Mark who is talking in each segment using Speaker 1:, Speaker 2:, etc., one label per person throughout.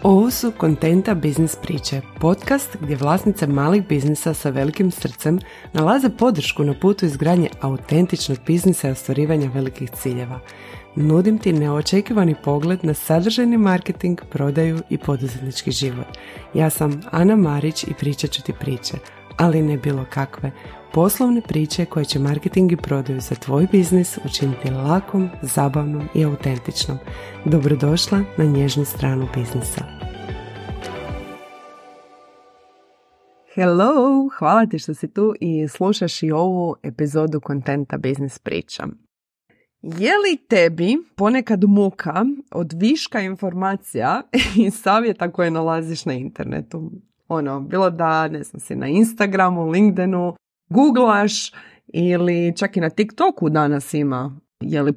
Speaker 1: Ovo su Kontenta biznis priče, podcast gdje vlasnice malih biznisa sa velikim srcem nalaze podršku na putu izgradnje autentičnog biznisa i ostvarivanja velikih ciljeva. Nudim ti neočekivani pogled na sadržajni marketing, prodaju i poduzetnički život. Ja sam Ana Marić i pričat ću ti priče, ali ne bilo kakve. Poslovne priče koje će marketing i prodaju za tvoj biznis učiniti lakom, zabavnom i autentičnom. Dobrodošla na nježnu stranu biznisa. Hello, hvala ti što si tu i slušaš i ovu epizodu Kontenta biznis priča. Je li tebi ponekad muka od viška informacija i savjeta koje nalaziš na internetu? Bilo da, si na Instagramu, LinkedInu, googlaš ili čak i na TikToku danas ima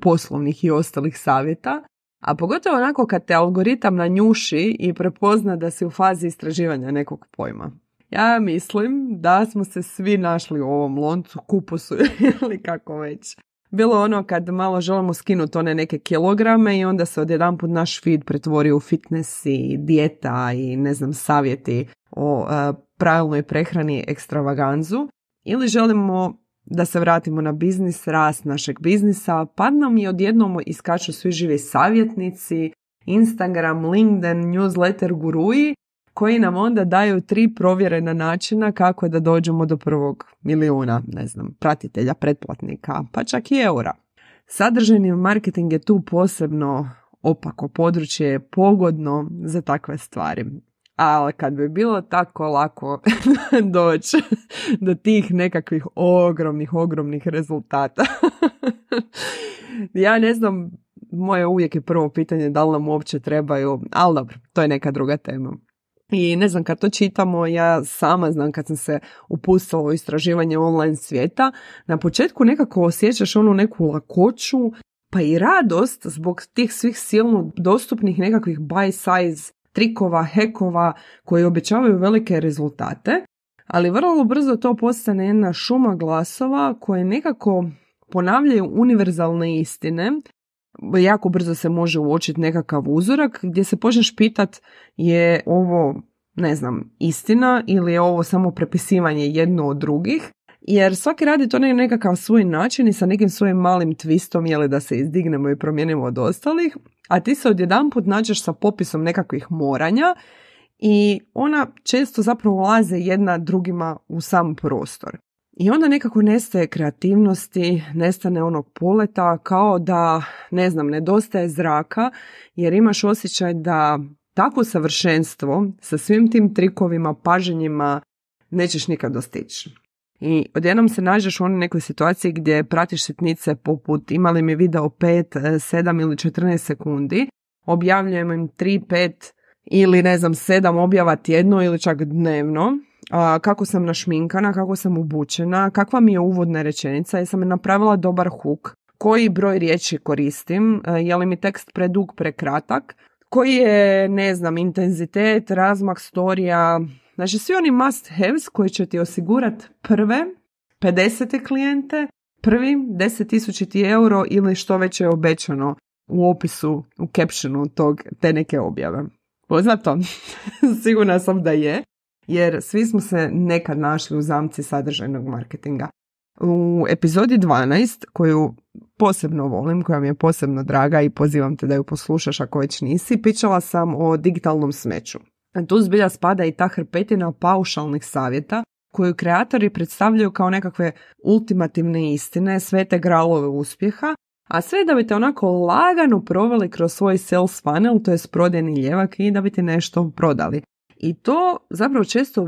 Speaker 1: poslovnih i ostalih savjeta, a pogotovo onako kad te algoritam nanjuši i prepozna da si u fazi istraživanja nekog pojma. Ja mislim da smo se svi našli u ovom loncu, kupusu ili kako već. Bilo kad malo želimo skinuti one neke kilograme i onda se odjedanput naš feed pretvori u fitness i dijeta i savjeti o pravilnoj prehrani, ekstravaganzu. Ili želimo da se vratimo na biznis, rast našeg biznisa, pa nam i odjednom iskaču svi živi savjetnici, Instagram, LinkedIn, newsletter guruji, koji nam onda daju 3 provjerena načina kako da dođemo do prvog milijuna, pratitelja, pretplatnika, pa čak i eura. Sadržajni marketing je tu posebno opako područje, pogodno za takve stvari. Ali kad bi bilo tako lako doći do tih nekakvih ogromnih rezultata. Ja ne znam, moje uvijek je prvo pitanje da li nam uopće trebaju, ali dobro, to je neka druga tema. I kad to čitamo, ja sama znam kad sam se upustila u istraživanje online svijeta, na početku nekako osjećaš neku lakoću, pa i radost zbog tih svih silno dostupnih nekakvih buy size trikova, hekova koji obećavaju velike rezultate, ali vrlo brzo to postane jedna šuma glasova koje nekako ponavljaju univerzalne istine. Jako brzo se može uočiti nekakav uzorak gdje se počneš pitat je ovo, istina ili je ovo samo prepisivanje jedno od drugih, jer svaki radi to na nekakav svoj način i sa nekim svojim malim twistom, da se izdignemo i promijenimo od ostalih, a ti se odjedanput nađeš sa popisom nekakvih moranja i ona često zapravo ulaze jedna drugima u sam prostor. I onda nekako nestaje kreativnosti, nestane onog poleta, kao da, nedostaje zraka, jer imaš osjećaj da takvo savršenstvo sa svim tim trikovima, paženjima nećeš nikad dostići. I odjednom se nađeš u nekoj situaciji gdje pratiš sitnice poput imali mi video 5, 7 ili 14 sekundi, objavljujem im 3, 5 ili 7 objava tjedno ili čak dnevno, kako sam našminkana, kako sam obučena, kakva mi je uvodna rečenica, jesam li napravila dobar hook, koji broj riječi koristim, je li mi tekst predug, prekratak, koji je, intenzitet, razmak storija. Znači, svi oni must haves koji će ti osigurati prve 50 klijente, prvi 10.000 euro ili što već je obećano u opisu, u captionu te neke objave. Poznato? Sigurna sam da je, jer svi smo se nekad našli u zamci sadržajnog marketinga. U epizodi 12, koju posebno volim, koja mi je posebno draga i pozivam te da ju poslušaš ako već nisi, pričala sam o digitalnom smeću. Tu zbilja spada i ta hrpetina paušalnih savjeta koju kreatori predstavljaju kao nekakve ultimativne istine, svete gralove uspjeha, a sve da bi te onako lagano proveli kroz svoj sales funnel, to je prodajni ljevak, i da bi ti nešto prodali. I to zapravo često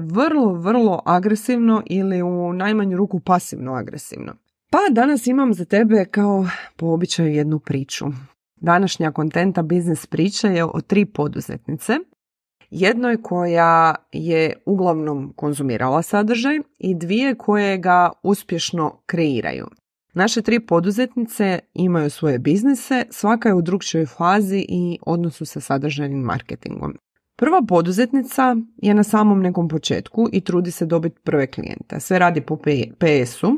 Speaker 1: vrlo agresivno ili u najmanju ruku pasivno agresivno. Pa danas imam za tebe kao po običaju jednu priču. Današnja Kontenta biznis priča je o 3 poduzetnice. Jednoj koja je uglavnom konzumirala sadržaj i 2 koje ga uspješno kreiraju. Naše 3 poduzetnice imaju svoje biznise, svaka je u drugčijoj fazi i odnosu sa sadržajnim marketingom. Prva poduzetnica je na samom nekom početku i trudi se dobiti prve klijente. Sve radi po PS-u,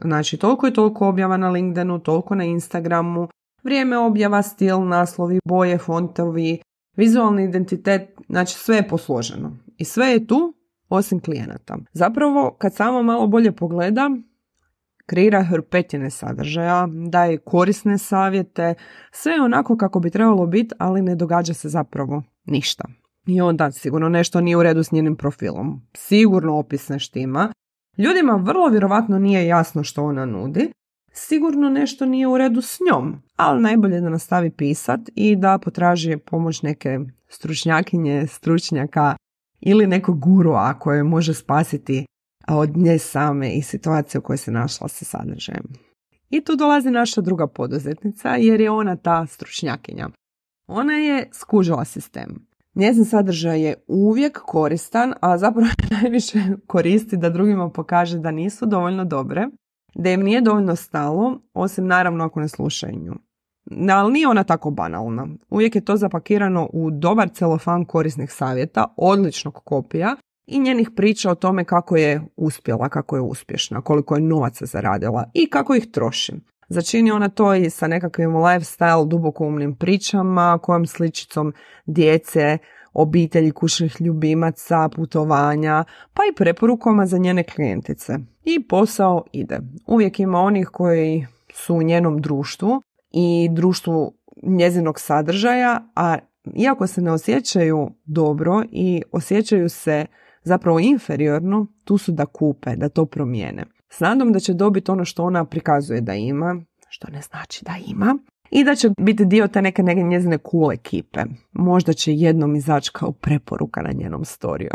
Speaker 1: znači toliko i toliko objava na LinkedInu, toliko na Instagramu, vrijeme objava, stil, naslovi, boje, fontovi, vizualni identitet Znači sve je posloženo i sve je tu osim klijenata. Zapravo kad samo malo bolje pogleda, kreira hrpetine sadržaja, daje korisne savjete, sve je onako kako bi trebalo biti, ali ne događa se zapravo ništa. I onda sigurno nešto nije u redu s njenim profilom. Sigurno opis ne štima. Ljudima vrlo vjerovatno nije jasno što ona nudi. Sigurno nešto nije u redu s njom, ali najbolje da nastavi pisat i da potraži pomoć neke stručnjakinje, stručnjaka ili nekog gurua koje može spasiti od nje same i situacije u kojoj se našla sa sadržajem. I tu dolazi naša druga poduzetnica jer je ona ta stručnjakinja. Ona je skužila sistem. Njezin sadržaj je uvijek koristan, a zapravo najviše koristi da drugima pokaže da nisu dovoljno dobre, da im nije dovoljno stalo, osim naravno ako ne slušaju nju. Ali nije ona tako banalna. Uvijek je to zapakirano u dobar celofan korisnih savjeta, odličnog kopija i njenih priča o tome kako je uspjela, kako je uspješna, koliko je novaca zaradila i kako ih troši. Začini ona to i sa nekakvim lifestyle, dubokoumnim pričama, kojom sličicom djece, obitelji, kućnih ljubimaca, putovanja, pa i preporukama za njene klijentice. I posao ide. Uvijek ima onih koji su u njenom društvu i društvu njezinog sadržaja, a iako se ne osjećaju dobro i osjećaju se zapravo inferiorno, tu su da kupe, da to promijene. S nadom da će dobiti ono što ona prikazuje da ima, što ne znači da ima, i da će biti dio te neke njezine cool ekipe. Možda će jednom izaći kao preporuka na njenom storiju.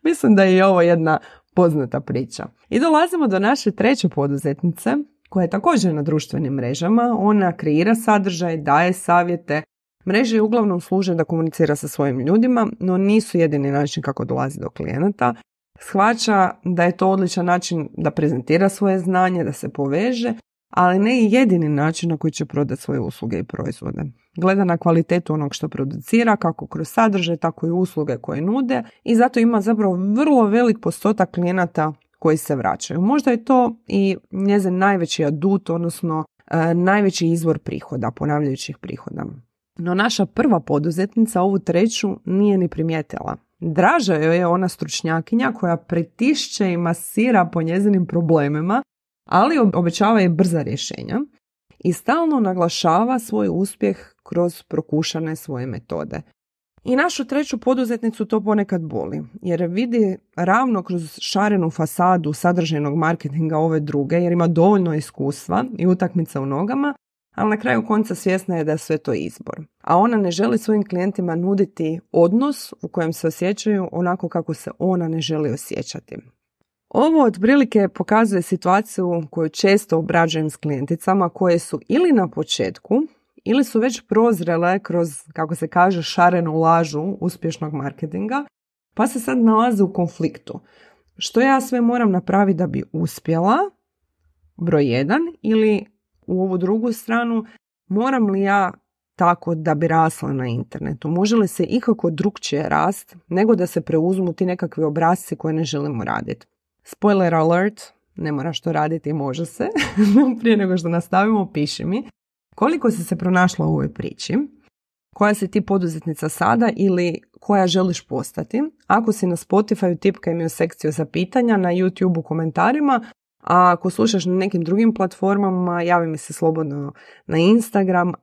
Speaker 1: Mislim da je i ovo jedna poznata priča. I dolazimo do naše treće poduzetnice, koja je također na društvenim mrežama. Ona kreira sadržaj, daje savjete. Mreže uglavnom služe da komunicira sa svojim ljudima, no nisu jedini način kako dolazi do klijenata. Shvaća da je to odličan način da prezentira svoje znanje, da se poveže, ali ne i jedini način na koji će prodati svoje usluge i proizvode. Gleda na kvalitetu onog što producira, kako kroz sadržaj, tako i usluge koje nude i zato ima zapravo vrlo velik postotak klijenata koji se vraćaju. Možda je to i njezin najveći adut, odnosno najveći izvor prihoda, ponavljajućih prihoda. No naša prva poduzetnica, ovu treću, nije ni primijetila. Draža joj je ona stručnjakinja koja pritišće i masira po njezinim problemima, ali obećava je brza rješenja i stalno naglašava svoj uspjeh kroz prokušane svoje metode. I našu treću poduzetnicu to ponekad boli, jer vidi ravno kroz šarenu fasadu sadržajnog marketinga ove druge, jer ima dovoljno iskustva i utakmica u nogama, ali na kraju konca svjesna je da je sve to izbor. A ona ne želi svojim klijentima nuditi odnos u kojem se osjećaju onako kako se ona ne želi osjećati. Ovo otprilike pokazuje situaciju koju često obrađujem s klijenticama koje su ili na početku ili su već prozrele kroz, kako se kaže, šarenu lažu uspješnog marketinga, pa se sad nalaze u konfliktu. Što ja sve moram napraviti da bi uspjela, broj 1, ili u ovu drugu stranu, moram li ja tako da bi rasla na internetu? Može li se ikako drukčije rast nego da se preuzmu ti nekakvi obrasci koje ne želimo raditi? Spoiler alert, ne moraš to raditi i može se. Prije nego što nastavimo, piši mi koliko si se pronašla u ovoj priči, koja si ti poduzetnica sada ili koja želiš postati. Ako si na Spotify, tipkaj mi u sekciju za pitanja, na YouTube u komentarima, a ako slušaš na nekim drugim platformama, javi mi se slobodno na Instagram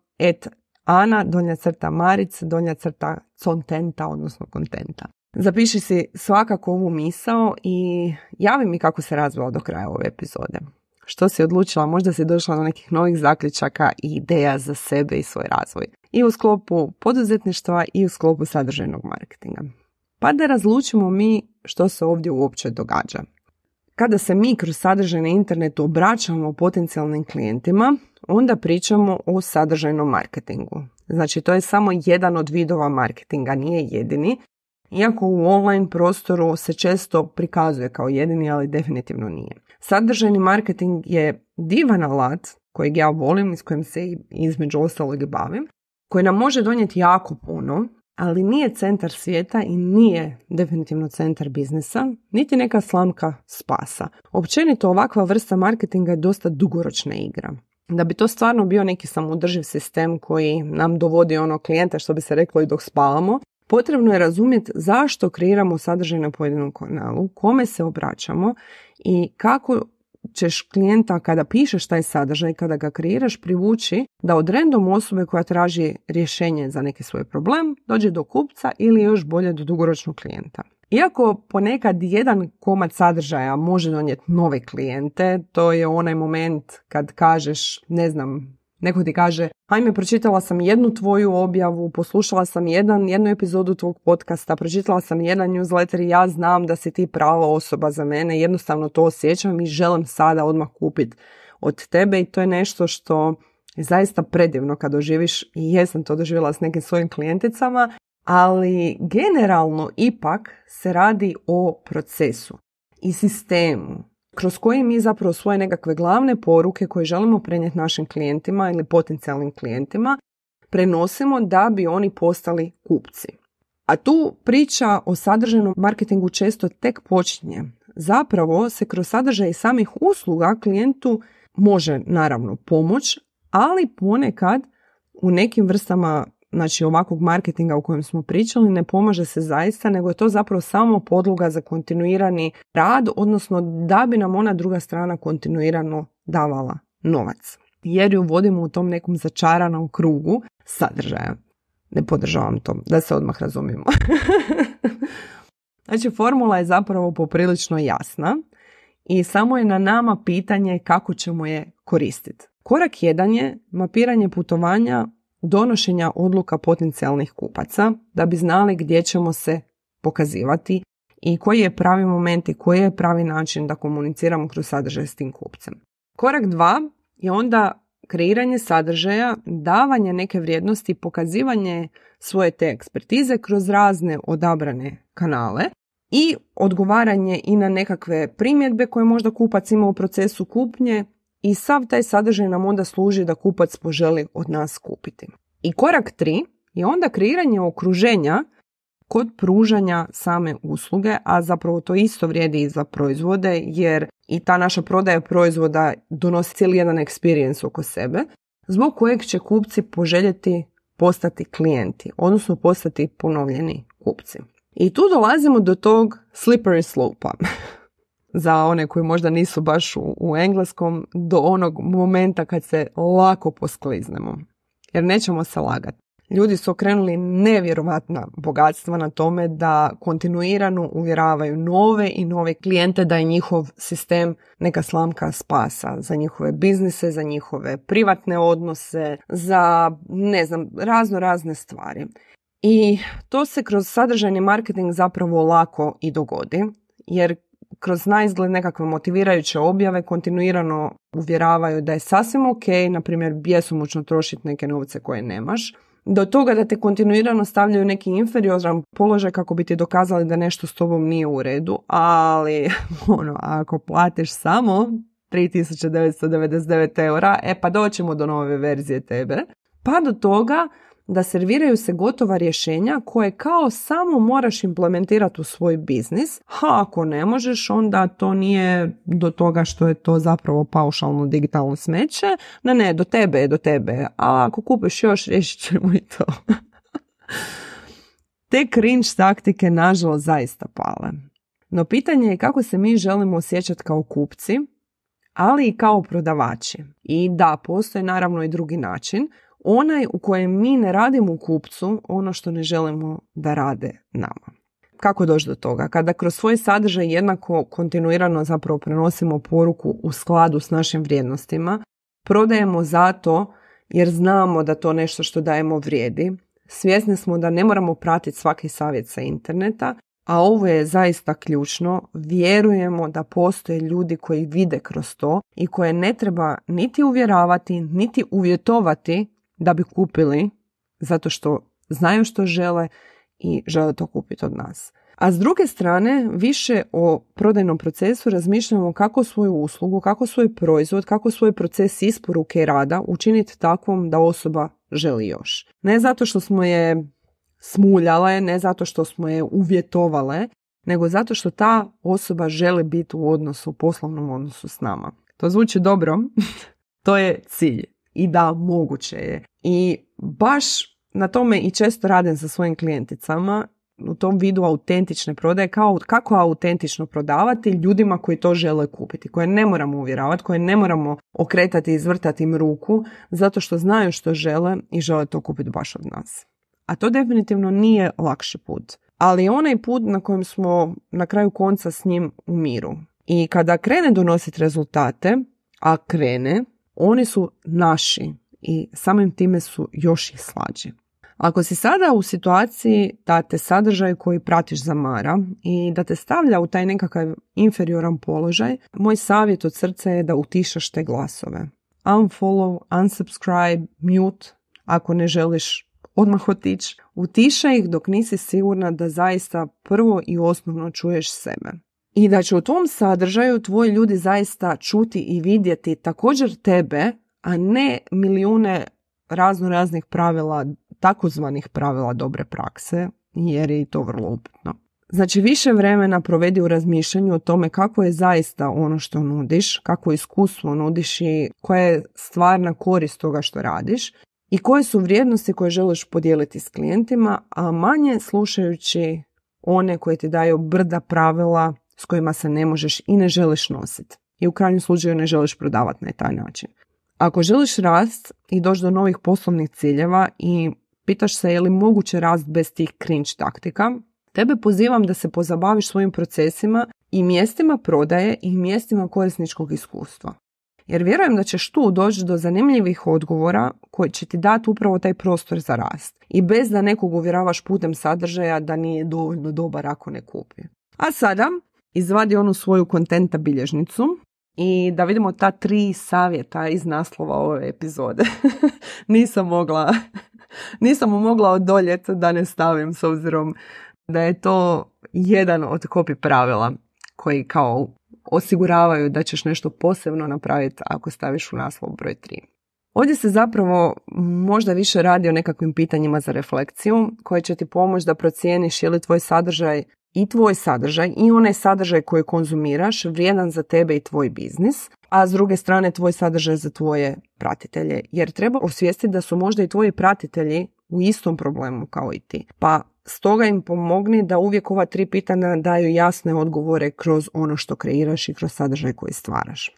Speaker 1: @Ana_Maric_contenta, odnosno kontenta. Zapiši si svakako ovu misao i javi mi kako se razvila do kraja ove epizode. Što si odlučila, možda si došla do nekih novih zaključaka i ideja za sebe i svoj razvoj. I u sklopu poduzetništva i u sklopu sadržajnog marketinga. Pa da razlučimo mi što se ovdje uopće događa. Kada se mi kroz sadržaj na internetu obraćamo potencijalnim klijentima, onda pričamo o sadržajnom marketingu. Znači, to je samo jedan od vidova marketinga, nije jedini. Iako u online prostoru se često prikazuje kao jedini, ali definitivno nije. Sadržajni marketing je divan alat kojeg ja volim i s kojim se između ostalog bavim, koji nam može donijeti jako puno, ali nije centar svijeta i nije definitivno centar biznisa, niti neka slamka spasa. Općenito ovakva vrsta marketinga je dosta dugoročna igra. Da bi to stvarno bio neki samoodrživ sistem koji nam dovodi klijenta, što bi se reklo, i dok spavamo, Potrebno je razumjeti zašto kreiramo sadržaj na pojedinom kanalu, kome se obraćamo i kako ćeš klijenta kada pišeš taj sadržaj, kada ga kreiraš, privući da od random osobe koja traži rješenje za neki svoj problem dođe do kupca ili još bolje do dugoročnog klijenta. Iako ponekad jedan komad sadržaja može donijeti nove klijente, to je onaj moment kad kažeš, ne znam, neko ti kaže, ajme, pročitala sam jednu tvoju objavu, poslušala sam jednu epizodu tvog podcasta, pročitala sam jedan newsletter i ja znam da si ti prava osoba za mene, jednostavno to osjećam i želim sada odmah kupiti od tebe i to je nešto što je zaista predivno kad doživiš i jesam to doživjela s nekim svojim klijenticama, ali generalno ipak se radi o procesu i sistemu kroz koji mi zapravo svoje nekakve glavne poruke koje želimo prenijeti našim klijentima ili potencijalnim klijentima prenosimo da bi oni postali kupci. A tu priča o sadržajnom marketingu često tek počinje. Zapravo se kroz sadržaj samih usluga klijentu može naravno pomoć, ali ponekad u nekim vrstama ovakvog marketinga o kojem smo pričali ne pomaže se zaista, nego je to zapravo samo podloga za kontinuirani rad, odnosno da bi nam ona druga strana kontinuirano davala novac. Jer ju vodimo u tom nekom začaranom krugu sadržaja. Ne podržavam to, da se odmah razumijemo. Znači, formula je zapravo poprilično jasna i samo je na nama pitanje kako ćemo je koristiti. Korak 1 je mapiranje putovanja, donošenja odluka potencijalnih kupaca da bi znali gdje ćemo se pokazivati i koji je pravi moment i koji je pravi način da komuniciramo kroz sadržaj s tim kupcem. Korak 2 je onda kreiranje sadržaja, davanje neke vrijednosti, pokazivanje svoje te ekspertize kroz razne odabrane kanale i odgovaranje i na nekakve primjedbe koje možda kupac ima u procesu kupnje i sav taj sadržaj nam onda služi da kupac poželi od nas kupiti. I korak 3 je onda kreiranje okruženja kod pružanja same usluge, a zapravo to isto vrijedi i za proizvode, jer i ta naša prodaja proizvoda donosi cijeli jedan experience oko sebe, zbog kojeg će kupci poželjeti postati klijenti, odnosno postati ponovljeni kupci. I tu dolazimo do tog slippery slope-a. Za one koji možda nisu baš u engleskom, do onog momenta kad se lako poskliznemo. Jer nećemo se lagati. Ljudi su okrenuli nevjerovatna bogatstva na tome da kontinuirano uvjeravaju nove i nove klijente da je njihov sistem neka slamka spasa za njihove biznise, za njihove privatne odnose, za razne stvari. I to se kroz sadržajni marketing zapravo lako i dogodi, jer kroz naizgled nekakve motivirajuće objave kontinuirano uvjeravaju da je sasvim ok, na primjer, bjesomučno trošiti neke novce koje nemaš, do toga da te kontinuirano stavljaju neki inferioran položaj kako bi ti dokazali da nešto s tobom nije u redu, ali ako platiš samo 3.999 eura, pa doćemo do nove verzije tebe, pa do toga da serviraju se gotova rješenja koje kao samo moraš implementirati u svoj biznis, a ako ne možeš, onda to nije do toga što je to zapravo paušalno digitalno smeće, ne, do tebe, a ako kupiš još, riješit ćemo i to. Te cringe taktike nažalost zaista pale. No pitanje je kako se mi želimo osjećati kao kupci, ali i kao prodavači. I da, postoji naravno i drugi način, onaj u kojem mi ne radimo kupcu ono što ne želimo da rade nama. Kako doći do toga? Kada kroz svoj sadržaj jednako kontinuirano zapravo prenosimo poruku u skladu s našim vrijednostima, prodajemo zato jer znamo da to nešto što dajemo vrijedi, svjesni smo da ne moramo pratiti svaki savjet sa interneta, a ovo je zaista ključno, vjerujemo da postoje ljudi koji vide kroz to i koje ne treba niti uvjeravati, niti uvjetovati da bi kupili, zato što znaju što žele i žele to kupiti od nas. A s druge strane, više o prodajnom procesu razmišljamo kako svoju uslugu, kako svoj proizvod, kako svoj proces isporuke i rada učiniti takvom da osoba želi još. Ne zato što smo je smuljale, ne zato što smo je uvjetovale, nego zato što ta osoba želi biti u odnosu, poslovnom odnosu s nama. To zvuči dobro, to je cilj. I da, moguće je. I baš na tome i često radim sa svojim klijenticama u tom vidu autentične prodaje, kako autentično prodavati ljudima koji to žele kupiti, koje ne moramo uvjeravati, koje ne moramo okretati i izvrtati im ruku zato što znaju što žele i žele to kupiti baš od nas. A to definitivno nije lakši put, ali je onaj put na kojem smo na kraju konca s njim u miru. I kada krene donositi rezultate, a krene, oni su naši i samim time su još i slađi. Ako si sada u situaciji da te sadržaj koji pratiš zamara i da te stavlja u taj nekakav inferioran položaj, moj savjet od srca je da utišaš te glasove. Unfollow, unsubscribe, mute, ako ne želiš odmah otići. Utišaj ih dok nisi sigurna da zaista prvo i osnovno čuješ sebe. I da će u tom sadržaju tvoji ljudi zaista čuti i vidjeti također tebe, a ne milijune raznih pravila, takozvanih pravila dobre prakse, jer je i to vrlo upitno. Znači, više vremena provedi u razmišljanju o tome kako je zaista ono što nudiš, kako iskustvo nudiš i koja je stvarna korist toga što radiš i koje su vrijednosti koje želiš podijeliti s klijentima, a manje slušajući one koje ti daju brda pravila s kojima se ne možeš i ne želiš nositi. I u krajnjem slučaju ne želiš prodavati na taj način. Ako želiš rast i doći do novih poslovnih ciljeva i pitaš se je li moguće rast bez tih cringe taktika, tebe pozivam da se pozabaviš svojim procesima i mjestima prodaje i mjestima korisničkog iskustva. Jer vjerujem da ćeš tu doći do zanimljivih odgovora koji će ti dati upravo taj prostor za rast. I bez da nekog uvjeravaš putem sadržaja da nije dovoljno dobar ako ne kupi. A sada izvadi onu svoju kontenta bilježnicu i da vidimo ta 3 savjeta iz naslova ove epizode. Nisam mogla odoljeti da ne stavim, s obzirom da je to jedan od copy pravila koji kao osiguravaju da ćeš nešto posebno napraviti ako staviš u naslov broj 3. Ovdje se zapravo možda više radi o nekakvim pitanjima za refleksiju koje će ti pomoći da procijeniš je li tvoj sadržaj i onaj sadržaj koji konzumiraš vrijedan za tebe i tvoj biznis, a s druge strane tvoj sadržaj za tvoje pratitelje. Jer treba osvijestiti da su možda i tvoji pratitelji u istom problemu kao i ti. Pa stoga im pomogni da uvijek ova 3 pitanja daju jasne odgovore kroz ono što kreiraš i kroz sadržaj koji stvaraš.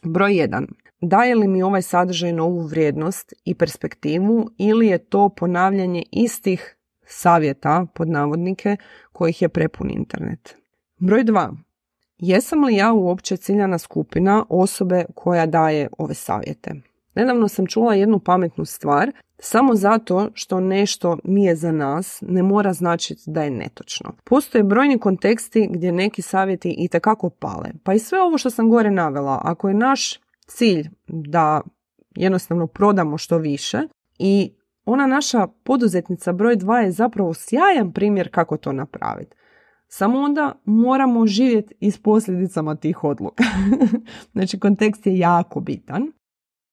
Speaker 1: Broj 1. Daje li mi ovaj sadržaj novu vrijednost i perspektivu ili je to ponavljanje istih savjeta, pod navodnike, kojih je prepun internet? Broj 2. Jesam li ja uopće ciljana skupina osobe koja daje ove savjete? Nedavno sam čula jednu pametnu stvar, samo zato što nešto nije za nas ne mora značiti da je netočno. Postoje brojni konteksti gdje neki savjeti itekako pale. Pa i sve ovo što sam gore navela, ako je naš cilj da jednostavno prodamo što više i ona naša poduzetnica broj 2 je zapravo sjajan primjer kako to napraviti. Samo onda moramo živjeti i s posljedicama tih odluka. Znači, kontekst je jako bitan.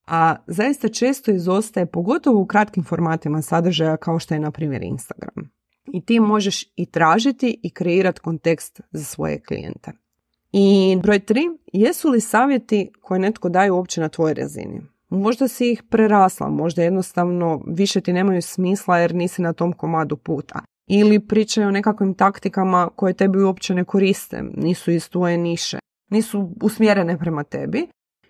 Speaker 1: A zaista često izostaje, pogotovo u kratkim formatima sadržaja kao što je na primjer Instagram. I ti možeš i tražiti i kreirati kontekst za svoje klijente. I broj 3, jesu li savjeti koje netko daje uopće na tvojoj razini? Možda si ih prerasla, možda jednostavno više ti nemaju smisla jer nisi na tom komadu puta. Ili pričaju o nekakvim taktikama koje tebi uopće ne koriste, nisu iz tvoje niše, nisu usmjerene prema tebi.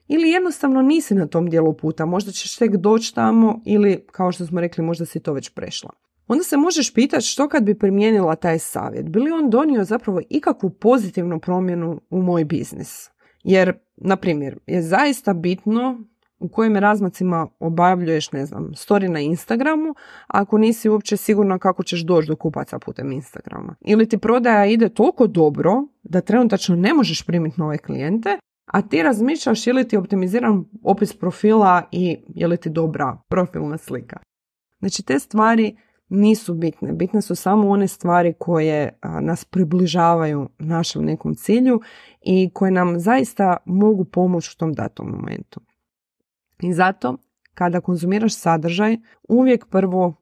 Speaker 1: Ili jednostavno nisi na tom dijelu puta, možda ćeš tek doći tamo ili, kao što smo rekli, možda si to već prešla. Onda se možeš pitati što kad bi primijenila taj savjet. Bi li on donio zapravo ikakvu pozitivnu promjenu u moj biznis? Jer, na primjer, je zaista bitno u kojim razmacima obavljuješ, story na Instagramu, ako nisi uopće sigurna kako ćeš doći do kupaca putem Instagrama. Ili ti prodaja ide toliko dobro da trenutačno ne možeš primiti nove klijente, a ti razmišljaš je li ti optimiziran opis profila i je li ti dobra profilna slika. Znači, te stvari nisu bitne. Bitne su samo one stvari koje nas približavaju našem nekom cilju i koje nam zaista mogu pomoći u tom datom momentu. I zato, kada konzumiraš sadržaj, uvijek prvo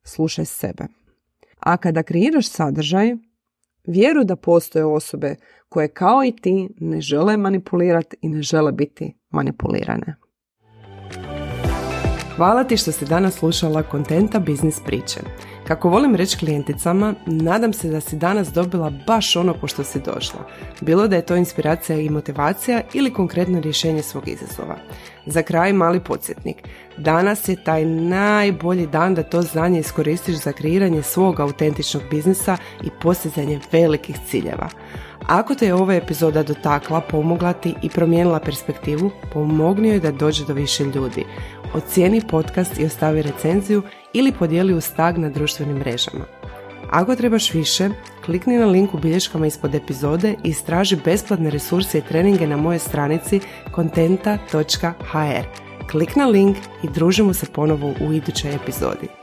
Speaker 1: slušaj sebe. A kada kreiraš sadržaj, vjeruj da postoje osobe koje kao i ti ne žele manipulirati i ne žele biti manipulirane. Hvala ti što si danas slušala Kontenta biznis priče. Kako volim reći klijenticama, nadam se da si danas dobila baš ono po što si došla. Bilo da je to inspiracija i motivacija ili konkretno rješenje svog izazova. Za kraj mali podsjetnik. Danas je taj najbolji dan da to znanje iskoristiš za kreiranje svog autentičnog biznisa i postizanje velikih ciljeva. Ako te je ova epizoda dotakla, pomogla ti i promijenila perspektivu, pomogni joj da dođe do više ljudi. Ocijeni podcast i ostavi recenziju ili podijeli uz tag na društvenim mrežama. Ako trebaš više, klikni na link u bilješkama ispod epizode i istraži besplatne resurse i treninge na mojoj stranici kontenta.hr. Klik na link i družimo se ponovo u idućoj epizodi.